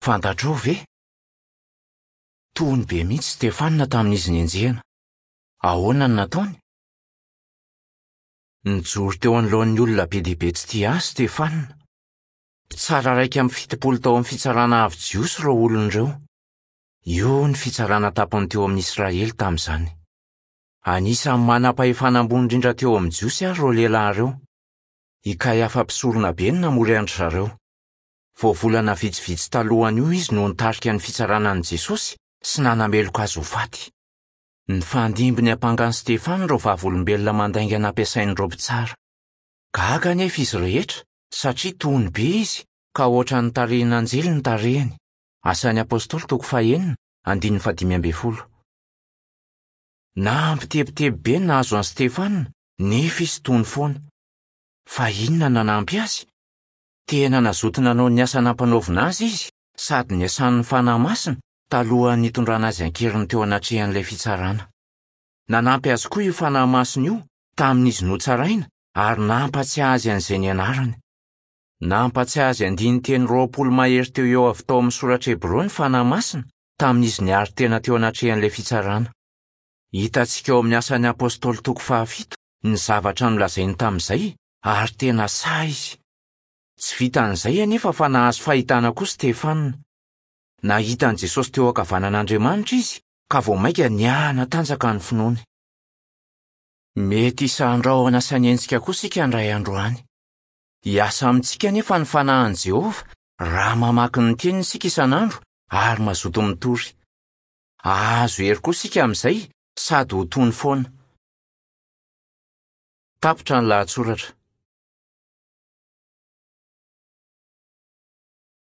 Fantatrao ve? Tony be mihitsy Stefana tamin'izy nenjehina. Ahoana no nataony? Nijoro teo anoloan'ny olona be dia be tsy tia azy Stefana. Mpitsara 71 tao amin'ny Fitsarana Avo Jiosy ireo olona ireo. Io ny fitsarana tampony teo amin'ny Israely tamin'izany. Anisan'ny manam-pahefana ambony indrindra teo amin'ny Jiosy àry ireo lehilahy ireo. I Kaiafa mpisoronabe no namory an-dry zareo. Vao volana vitsivitsy talohan'io izy no nitarika ny fitsarana an'i Jesosy sy nanameloka azy ho faty. Nifandimby niampanga an'i Stefana ireo vavolombelona mandainga nampiasain'ireo mpitsara. Gaga anefa izy rehetra satria tony be izy ka hoatran'ny tarehin'anjely ny tarehiny. Asan'ny Apostoly toko fahenina, andininy fahadimy ambin'ny folo. Nampitebiteby be ny nahazo an'i Stefana, nefa izy tony foana. Fa inona no nanampy azy? Tena nazoto nanao ny asa nampanaovina azy izy sady niasan'ny fanahy masina talohan'ny nitondrana azy an-keriny teo anatrehan'ilay fitsarana. Nanampy azy koa io fanahy masina io tamin'izy notsaraina ary nampatsiahy azy an'izay nianarany. Nampatsiahy azy andinin-teny 20 mahery teo eo avy tao amin'ny soratra hebreo ny fanahy masina tamin'izy niaro tena teo anatrehan'ilay fitsarana. Hitantsika ao amin'ny Asan'ny Apostoly toko fahafito ny zavatra nolazainy tamin'izay ary tena sahy izy. Tsy vitan'izay anefa fa nahazo fahitana koa Stefana. Nahita an'i Jesosy teo ankavanan'Andriamanitra izy ka vao mainka nihanatanjaka ny finoany. Mety hisandrahona sy hanenjika koa isika indray andro any. Hiasa amintsika anefa ny fanahin'i Jehovah raha mamaky ny Teniny isika isan'andro ary mazoto mitory. Hahazo hery koa isika amin'izay sady ho tony foana. Tapitra ny lahatsoratra.